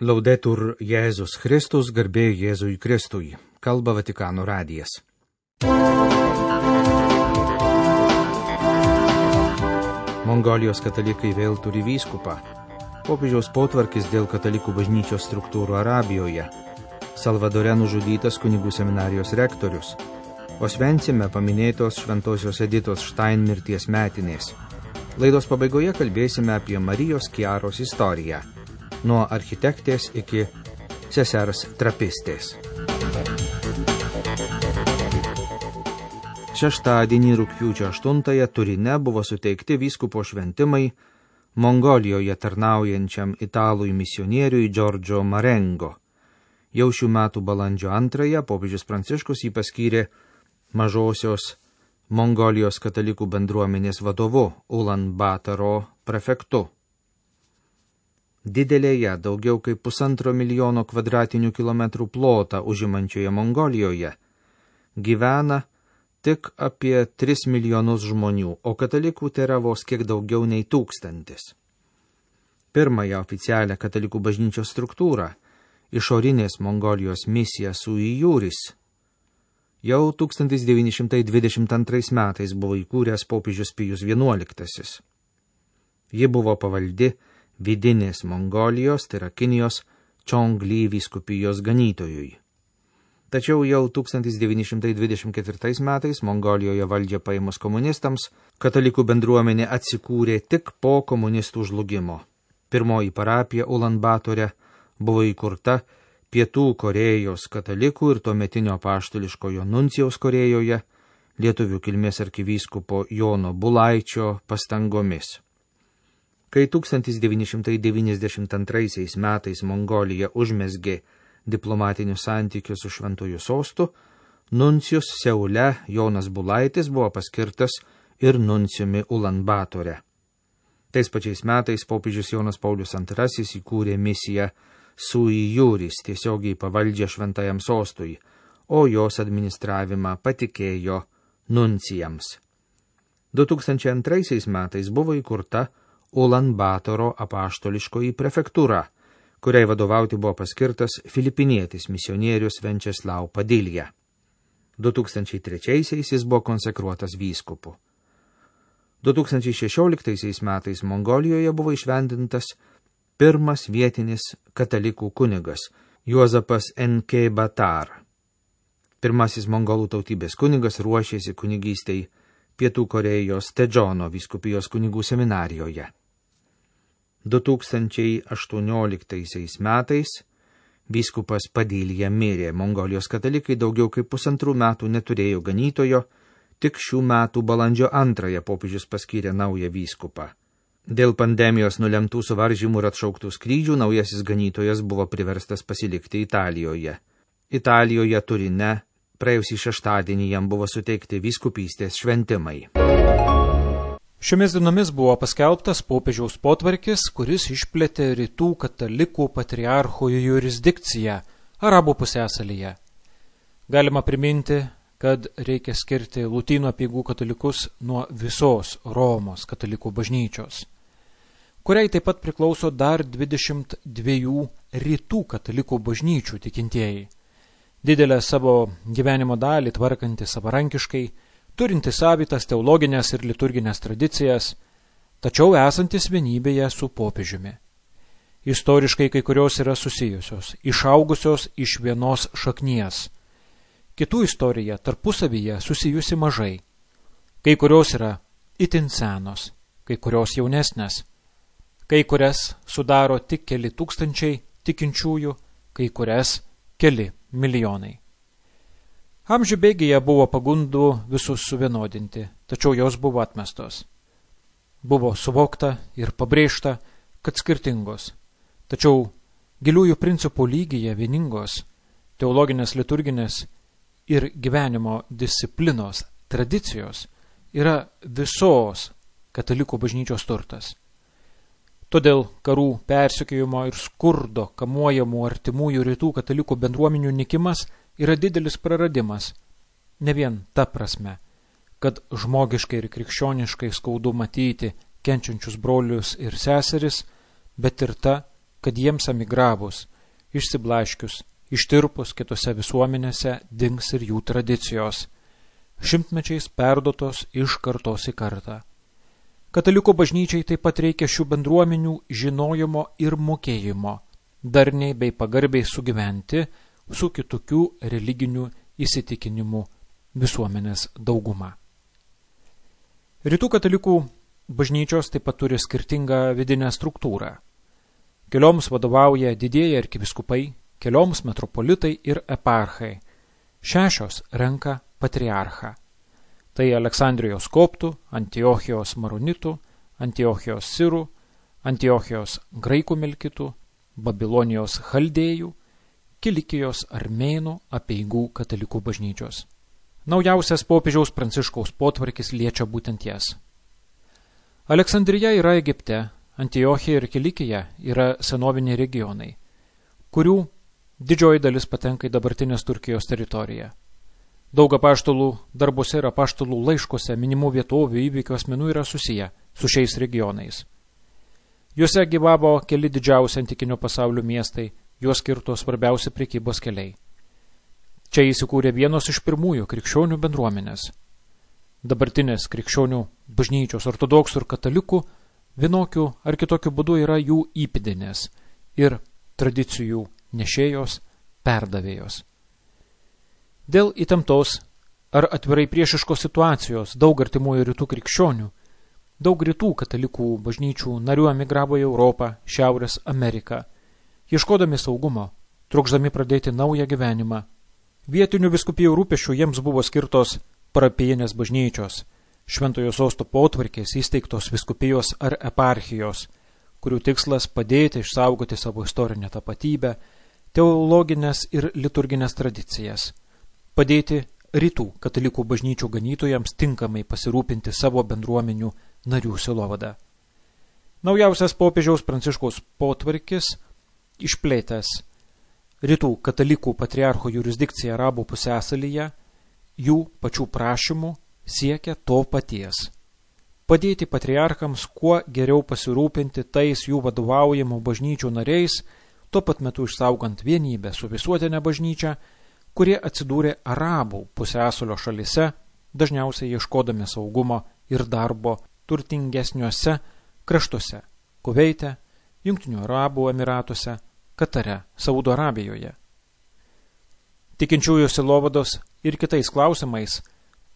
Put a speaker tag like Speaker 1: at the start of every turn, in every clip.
Speaker 1: Laudetur Jėzus Kristus, garbė Jėzui Kristui. Kalba Vatikano radijas. Mongolijos katalikai vėl turi vyskupą. Popiežiaus potvarkis dėl katalikų bažnyčios struktūrų Arabijoje. Salvadore nužudytas kunigų seminarijos rektorius. Osvencime paminėtos šventosios Editos Štain mirties metinės. Laidos pabaigoje kalbėsime apie Marijos Kiaros istoriją. Nuo architektės iki sesers trapistės. Šeštadienį rugpjūčio 8 Turine buvo suteikti vyskupo šventimai Mongolijoje tarnaujančiam italui misionieriui Giorgio Marengo. Jau šių metų balandžio 2 popiežius Pranciškus jį paskyrė mažosios Mongolijos katalikų bendruomenės vadovu Ulan Batoro prefektu. Didelėje, daugiau kaip 1,5 milijono kvadratinių kilometrų plotą užimančioje Mongolijoje gyvena tik apie 3 milijonus žmonių, o katalikų tėra vos kiek daugiau nei 1000. Pirmąją oficialią katalikų bažnyčios struktūrą, išorinės Mongolijos misija Sui Juris, jau 1922 metais buvo įkūręs popiežius Pijus XI. Ji buvo pavaldi vidinės Mongolijos, tai yra Kinijos, Čongli vyskupijos ganytojui. Tačiau jau 1924 metais Mongolijoje valdžią paėmus komunistams, katalikų bendruomenė atsikūrė tik po komunistų žlugimo. Pirmoji parapija Ulan Batore buvo įkurta Pietų Korėjos katalikų ir tuometinio apaštališkojo nuncijaus Korėjoje, lietuvių kilmės arkivyskupo Jono Bulaičio pastangomis. Kai 1992 metais Mongolija užmezgė diplomatinius santykius su Šventuoju sostu, nuncijus Seule Jonas Bulaitis buvo paskirtas ir nuncijumi Ulan Batore. Tais pačiais metais popiežius Jonas Paulius II įkūrė misiją Sui Juris tiesiogiai pavaldžią Šventajam sostui, o jos administravimą patikėjo nuncijams. 2002 metais buvo įkurta Ulan Batoro apaštališkoji prefektūra, kuriai vadovauti buvo paskirtas filipinietis misionierius Venčeslau Padilja. 2003 jis buvo konsekruotas vyskupu. 2016 metais Mongolijoje buvo išvendintas pirmas vietinis katalikų kunigas Juozapas N.K. Batar. Pirmasis mongolų tautybės kunigas ruošėsi kunigystei Pietų Korėjos Tedžono vyskupijos kunigų seminarijoje. 2018 metais vyskupas Padilja mirė. Mongolijos katalikai daugiau kaip 1,5 metų neturėjo ganytojo, tik šių metų balandžio 2 popiežius paskyrė naują vyskupą. Dėl pandemijos nulemtų suvaržymų ir atšauktų skrydžių naujasis ganytojas buvo priverstas pasilikti Italijoje. Italijoje Turine praėjusį šeštadienį jam buvo suteikti vyskupystės šventimai.
Speaker 2: Šiomis dienomis buvo paskelbtas popiežiaus potvarkis, kuris išplėtė rytų katalikų patriarcho jurisdikciją Arabų pusiasalyje. Galima priminti, kad reikia skirti Lotynų apeigų katalikus nuo visos Romos katalikų bažnyčios, kuriai taip pat priklauso dar 22 rytų katalikų bažnyčių tikintieji. Didelę savo gyvenimo dalį tvarkanti savarankiškai, turinti savitas teologinės ir liturginės tradicijas, tačiau esantis vienybėje su popiežiumi. Istoriškai kai kurios yra susijusios, išaugusios iš vienos šaknies. Kitų istorija tarpusavyje susijusi mažai. Kai kurios yra itin senos, kai kurios jaunesnės. Kai kurias sudaro tik keli tūkstančiai tikinčiųjų, kai kurias keli milijonai. Amžių bėgyje buvo pagundų visus suvienodinti, tačiau jos buvo atmestos. Buvo suvokta ir pabrėžta, kad skirtingos, tačiau giliųjų principų lygyje vieningos, teologinės, liturginės ir gyvenimo disciplinos tradicijos yra visos katalikų bažnyčios turtas. Todėl karų, persekiojimo ir skurdo kamuojamų artimųjų rytų katalikų bendruomenių nykimas yra didelis praradimas, ne vien ta prasme, kad žmogiškai ir krikščioniškai skaudu matyti kenčiančius brolius ir seseris, bet ir ta, kad jiems emigravus, išsiblaškius, ištirpus kitose visuomenėse dings ir jų tradicijos, šimtmečiais perduotos iš kartos į kartą. Katalikų bažnyčiai taip pat reikia šių bendruomenių žinojimo ir mokėjimo, darniai bei pagarbiai sugyventi su kitokių religinių įsitikinimų visuomenės dauguma. Rytų katalikų bažnyčios taip pat turi skirtingą vidinę struktūrą. Kelioms vadovauja didieji arkivyskupai, kelioms metropolitai ir eparchai. 6 renka patriarchą. Tai Aleksandrijos koptų, Antiochijos maronitų, Antiochijos sirų, Antiochijos graikų melkitų, Babilonijos chaldėjų, Kilikijos armėnų apeigų katalikų bažnyčios. Naujausias popiežiaus Pranciškaus potvarkis liečia būtent jas. Aleksandrija yra Egipte, Antiochija ir Kilikija yra senoviniai regionai, kurių didžioji dalis patenka į dabartinės Turkijos teritoriją. Daug apaštalų darbuose ir apaštalų laiškuose minimų vietovių įvykių asmenų yra susiję su šiais regionais. Juose gyvavo keli didžiausi antikinio pasaulio miestai, juos skirto svarbiausi prekybos keliai. Čia įsikūrė vienos iš pirmųjų krikščionių bendruomenės. Dabartinės krikščionių bažnyčios ortodoksų ir katalikų vienokiu ar kitokiu būdu yra jų įpėdinės ir tradicijų nešėjos, perdavėjos. Dėl įtemptos ar atvirai priešiškos situacijos daug artimųjų rytų krikščionių, daug rytų katalikų bažnyčių narių emigravo į Europą, Šiaurės Ameriką, ieškodami saugumo, trukšdami pradėti naują gyvenimą. Vietinių vyskupijų rūpesčių jiems buvo skirtos parapijinės bažnyčios, Šventojo Sosto potvarkės įsteigtos vyskupijos ar eparchijos, kurių tikslas padėti išsaugoti savo istorinę tapatybę, teologinės ir liturginės tradicijas, padėti rytų katalikų bažnyčių ganytojams tinkamai pasirūpinti savo bendruomenių narių sielovada. Naujausias popiežiaus Pranciškaus potvarkis, išplėtęs rytų katalikų patriarcho jurisdikciją Arabų pusiasalyje, jų pačių prašymų siekia to paties. Padėti patriarchams kuo geriau pasirūpinti tais jų vadovaujamų bažnyčių nariais, tuo pat metu išsaugant vienybę su visuotinė bažnyčia, kurie atsidūrė Arabų pusiasalio šalyse, dažniausiai ieškodami saugumo ir darbo turtingesniuose kraštuose – Kuveite, Jungtinių Arabų Emiratuose, Katare, Saudo Arabijoje. Tikinčiųjų sielovados ir kitais klausimais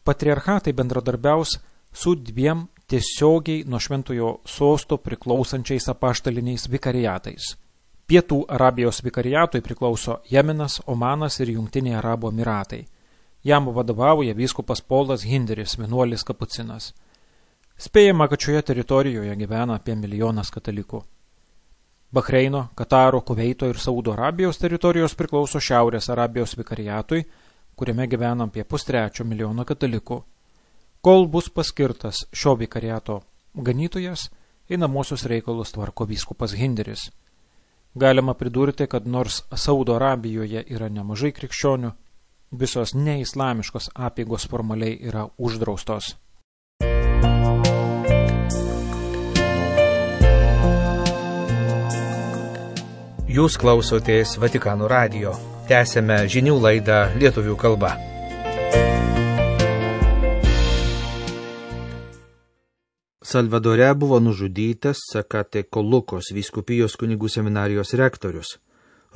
Speaker 2: patriarchatai bendradarbiaus su 2 tiesiogiai nuo Šventojo Sosto priklausančiais apaštaliniais vikariatais. Pietų Arabijos vikariatui priklauso Jemenas, Omanas ir Jungtiniai Arabų Emiratai. Jam vadovauja vyskupas Polas Hinderis, vienuolis kapucinas. Spėjama, kad šioje teritorijoje gyvena apie 1 milijonas katalikų. Bahreino, Kataro, Kuveito ir Saudo Arabijos teritorijos priklauso Šiaurės Arabijos vikariatui, kuriame gyvena apie 2,3 milijono katalikų. Kol bus paskirtas šio vikariato ganytojas, einamosius reikalus tvarko vyskupas Hinderis. Galima pridurti, kad nors Saudo Arabijoje yra nemažai krikščionių, visos neislamiškos apeigos formaliai yra uždraustos.
Speaker 1: Jūs klausotės Vatikano radijo. Tęsėme žinių laidą lietuvių kalba. Salvadore buvo nužudytas Zacatecolucos vyskupijos kunigų seminarijos rektorius.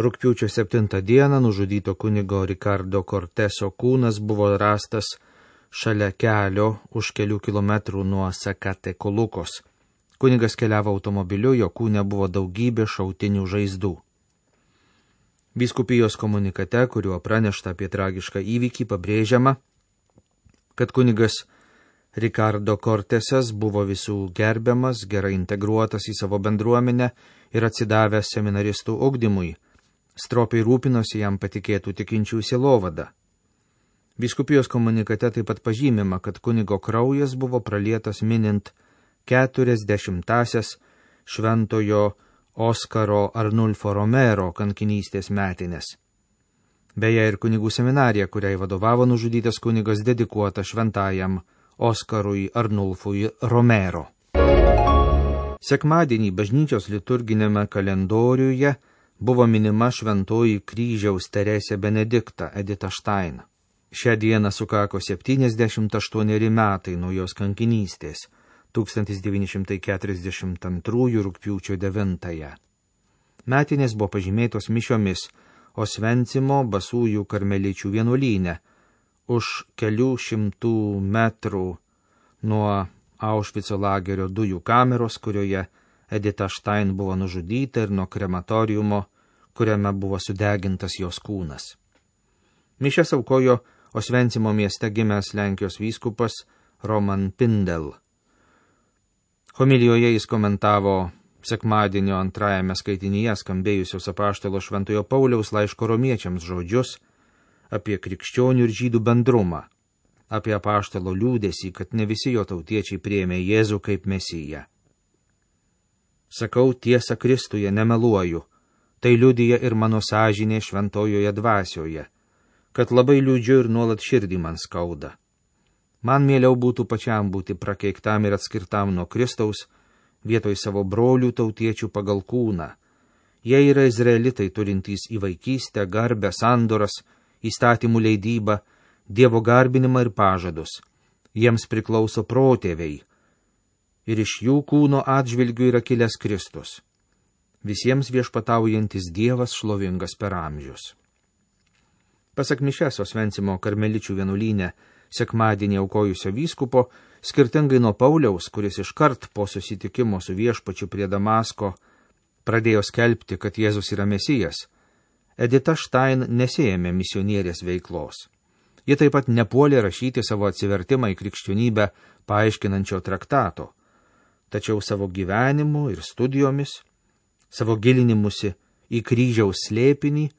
Speaker 1: Rugpjūčio 7 dieną nužudyto kunigo Ricardo Corteso kūnas buvo rastas šalia kelio už kelių kilometrų nuo Zacatecolucos. Kunigas keliavo automobiliu, jo kūne buvo daugybė šautinių žaizdų. Vyskupijos komunikate, kuriuo pranešta apie tragišką įvykį, pabrėžiama, kad kunigas Ricardo Cortesas buvo visų gerbiamas, gerai integruotas į savo bendruomenę ir atsidavęs seminaristų ugdymui, stropiai rūpinosi jam patikėtų tikinčių sielovada. Vyskupijos komunikate taip pat pažymima, kad kunigo kraujas buvo pralietas minint 40-asias šventojo Oskaro Arnulfo Romero kankinystės metinės. Beje, ir kunigų seminarija, kuriai vadovavo nužudytas kunigas, dedikuota šventajam Oskarui Arnulfui Romero. Sekmadienį bažnyčios liturginėme kalendoriuje buvo minima šventoji kryžiaus Teresė Benedikta Edita Štain. Šią dieną sukako 78 metai nuo jos kankinystės 1942 rugpjūčio 9. Metinės buvo pažymėtos mišiomis Osvencimo Basųjų karmeličių vienuolyne už kelių šimtų metrų nuo Aušvico lagerio dujų kameros, kurioje Edita Štain buvo nužudyta, ir nuo krematoriumo, kuriame buvo sudegintas jos kūnas. Mišias aukojo Osvencimo mieste gimęs Lenkijos vyskupas Roman Pindel. Homilijoje jis komentavo sekmadienio antrajame skaitinyje skambėjusios apaštalo Šventojo Pauliaus laiško romiečiams žodžius apie krikščionių ir žydų bendrumą, apie apaštalo liūdesį, kad ne visi jo tautiečiai priėmė Jėzų kaip Mesiją. Sakau tiesą Kristuje, nemeluoju, tai liudija ir mano sąžinė šventojoje dvasioje, kad labai liūdžiu ir nuolat širdį man skauda. Man mieliau būtų pačiam būti prakeiktam ir atskirtam nuo Kristaus, vietoj savo brolių tautiečių pagal kūną. Jie yra izraelitai turintys į vaikystę, garbę, sandoras, įstatymų leidybą, Dievo garbinimą ir pažadus. Jiems priklauso protėviai. Ir iš jų kūno atžvilgių yra kilęs Kristus. Visiems viešpataujantis Dievas šlovingas per amžius. Pasak mišias Osvencimo karmeličių vienuolyne sekmadienį aukojusio vyskupo, skirtingai nuo Pauliaus, kuris iškart po susitikimo su viešpačiu prie Damasko pradėjo skelbti, kad Jėzus yra Mesijas, Edita Štain nesėjėmė misionierės veiklos. Ji taip pat nepuolė rašyti savo atsivertimą į krikščionybę paaiškinančio traktato, tačiau savo gyvenimu ir studijomis, savo gilinimusi į kryžiaus slėpinį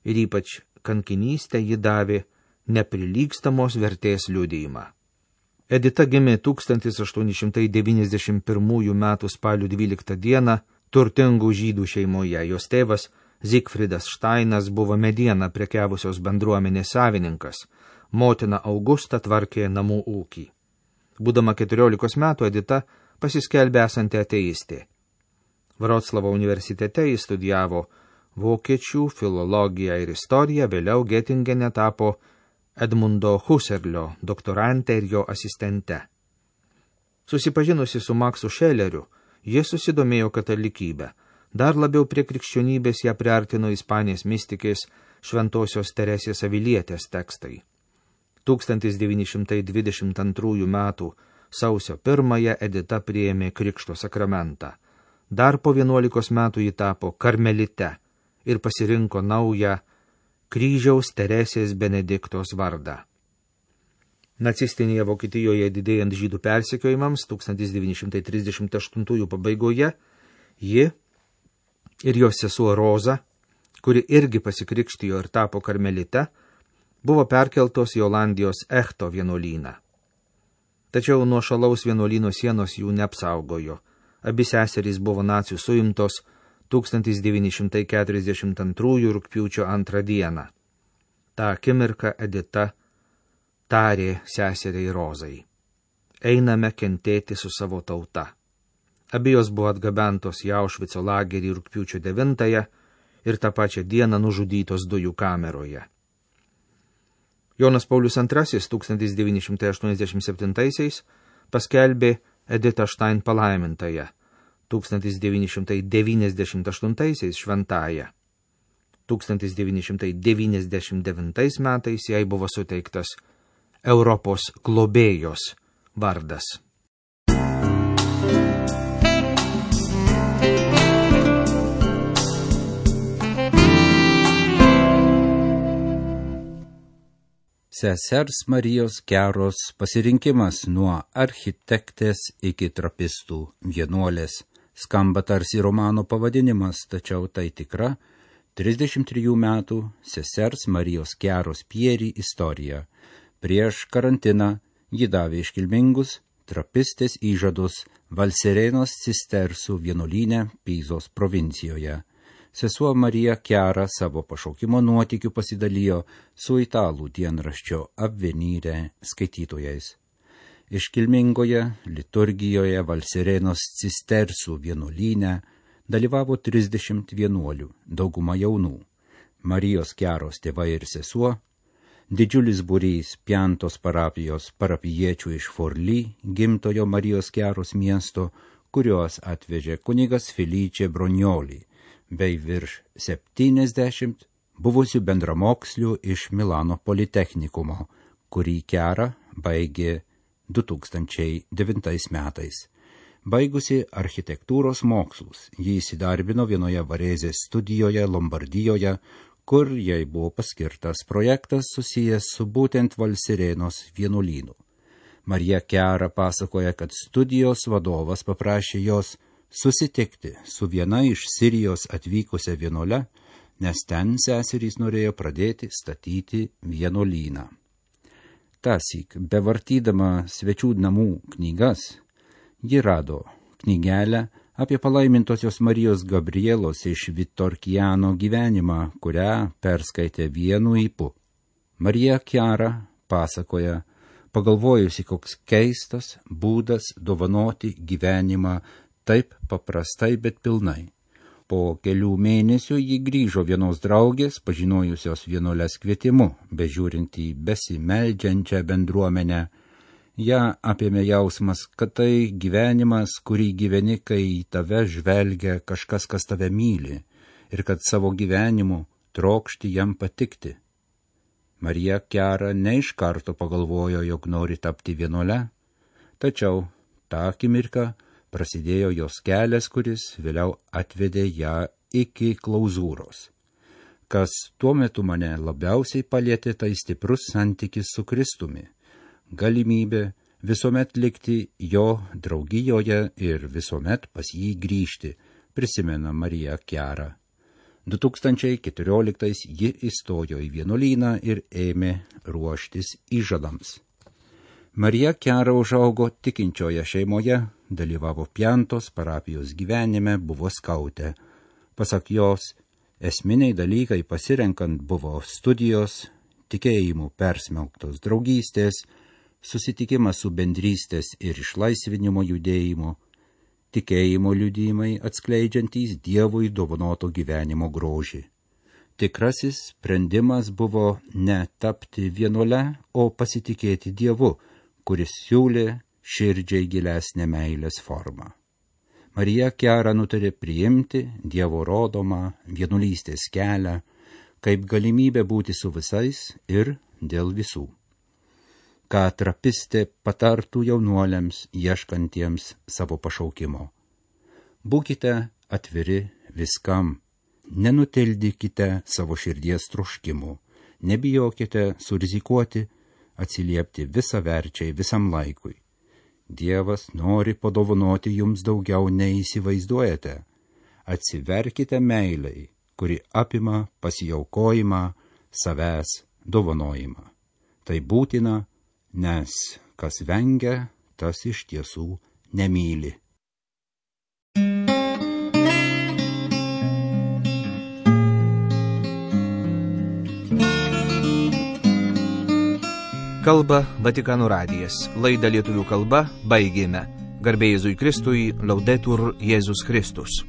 Speaker 1: ir ypač kankinystę ji davė neprilygstamos vertės liudijimą. Edita gimė 1891 m. spalio 12 d. turtingų žydų šeimoje. Jos tėvas Zigfridas Štainas buvo medieną prekiavusios bendruomenės savininkas, motina Augusta tvarkė namų ūkį. Būdama 14 metų Edita pasiskelbė esanti ateistė. Vroclavo universitete jis studijavo vokiečių filologiją ir istoriją, vėliau Getingene tapo Edmundo Husserlio doktorante ir jo asistente. Susipažinusi su Maksu Šeleriu, ji susidomėjo katalikybę. Dar labiau prie krikščionybės ją priartino Ispanijos mistikės Šventosios Teresės Avilietės tekstai. 1922 m. sausio 1 Edita priėmė krikšto sakramentą. Dar po 11 metų ji tapo karmelite ir pasirinko naują Kryžiaus Teresės Benediktos vardą. Nacistinėje Vokietijoje didėjant žydų persekiojimams 1938 pabaigoje ji ir jos sesuo Roza, kuri irgi pasikrikštijo ir tapo karmelite, buvo perkeltos į Olandijos Echto vienuolyną. Tačiau nuo šalaus vienuolyno sienos jų neapsaugojo. Abi seserys buvo nacių suimtos 1942 rugpjūčio 2 dieną. Ta akimirka Edita tarė seseriai Rozai: einame kentėti su savo tauta. Abi jos buvo atgabentos į Aušvico lagerį rugpjūčio 9 ir tą pačią dieną nužudytos dujų kameroje. Jonas Paulius II 1987 paskelbė Editą Štain palaimintąją, 1998 šventąją. 1999 metais jai buvo suteiktas Europos globėjos vardas.
Speaker 3: Sesers Marijos Keros pasirinkimas nuo architektės iki trapistų vienuolės. Skamba tarsi romano pavadinimas, tačiau tai tikra 33 metų sesers Marijos Keros Pieri istorija. Prieš karantiną ji davė iškilmingus trapistės įžadus Valserenos cistersų vienuolyne Pizos provincijoje. Sesuo Marija Kera savo pašaukimo nuotykių pasidalijo su italų dienraščio Avvenire skaitytojais. Iškilmingoje liturgijoje Valsirenos cistersų vienuolyne dalyvavo 30 vienuolių, dauguma jaunų, Marijos Kiaros tėvai ir sesuo, didžiulis būrys Piantos parapijos parapijiečių iš Forly, gimtojo Marijos Kiaros miesto, kuriuos atvežė kunigas Felice Bronioli, bei virš 70 buvusių bendramokslių iš Milano Politechnikumo, kurį Kiara baigė 2009 metais. Baigusi architektūros mokslus, ji įsidarbino vienoje Varėzės studijoje Lombardijoje, kur jai buvo paskirtas projektas susijęs su būtent Valsirenos vienuolynu. Marija Kiara pasakoja, kad studijos vadovas paprašė jos susitikti su viena iš Sirijos atvykusią vienuole, nes ten seserys norėjo pradėti statyti vienuolyną. Tąsyk, bevartydama svečių namų knygas, ji rado knygelę apie palaimintosios Marijos Gabrielos iš Vitorkiano gyvenimą, kurią perskaitė vienu ypu. Marija Kiara pasakoja, pagalvojusi, koks keistas būdas dovanoti gyvenimą taip paprastai, bet pilnai. Po kelių mėnesių ji grįžo vienos draugės, pažinojusios vienuolės kvietimu, bežiūrint į besimeldžiančią bendruomenę. Ja apėmė jausmas, kad tai gyvenimas, kurį gyveni, kai į tave žvelgia kažkas, kas tave myli, ir kad savo gyvenimu trokšti jam patikti. Marija Kiara ne iš karto pagalvojo, jog nori tapti vienuole, tačiau tą akimirką prasidėjo jos kelias, kuris vėliau atvedė ją iki klauzūros. Kas tuo metu mane labiausiai palietė, tai stiprus santykis su Kristumi, galimybė visuomet likti jo draugijoje ir visuomet pas jį grįžti, prisimena Marija Kiara. 2014 ji įstojo į vienuolyną ir ėmė ruoštis įžadams. Marija Kiara užaugo tikinčioje šeimoje, dalyvavo Piantos parapijos gyvenime, buvo skautė. Pasak jos, esminiai dalykai pasirenkant buvo studijos, tikėjimų persmelktos draugystės, susitikimas su bendrystės ir išlaisvinimo judėjimu, tikėjimo liudijimai atskleidžiantys Dievui dovanoto gyvenimo grožį. Tikrasis sprendimas buvo ne tapti vienuole, o pasitikėti Dievu, kuris siūlė širdžiai gilesnę meilės formą. Marija Kiara nutarė priimti Dievo rodomą vienuolystės kelią kaip galimybę būti su visais ir dėl visų. Ką trapistė patartų jaunuoliams ieškantiems savo pašaukimo. Būkite atviri viskam, nenutildykite savo širdies troškimų, nebijokite surizikuoti, atsiliepti visaverčiai visam laikui. Dievas nori padovanoti jums daugiau nei įsivaizduojate. Atsiverkite meilei, kuri apima pasiaukojimą, savęs dovanojimą. Tai būtina, nes kas vengia, tas iš tiesų nemyli.
Speaker 1: Kalba Vatikano radijas. Laidą lietuvių kalba baigėme. Garbė Jėzui Kristui, Laudetur Jėzus Kristus.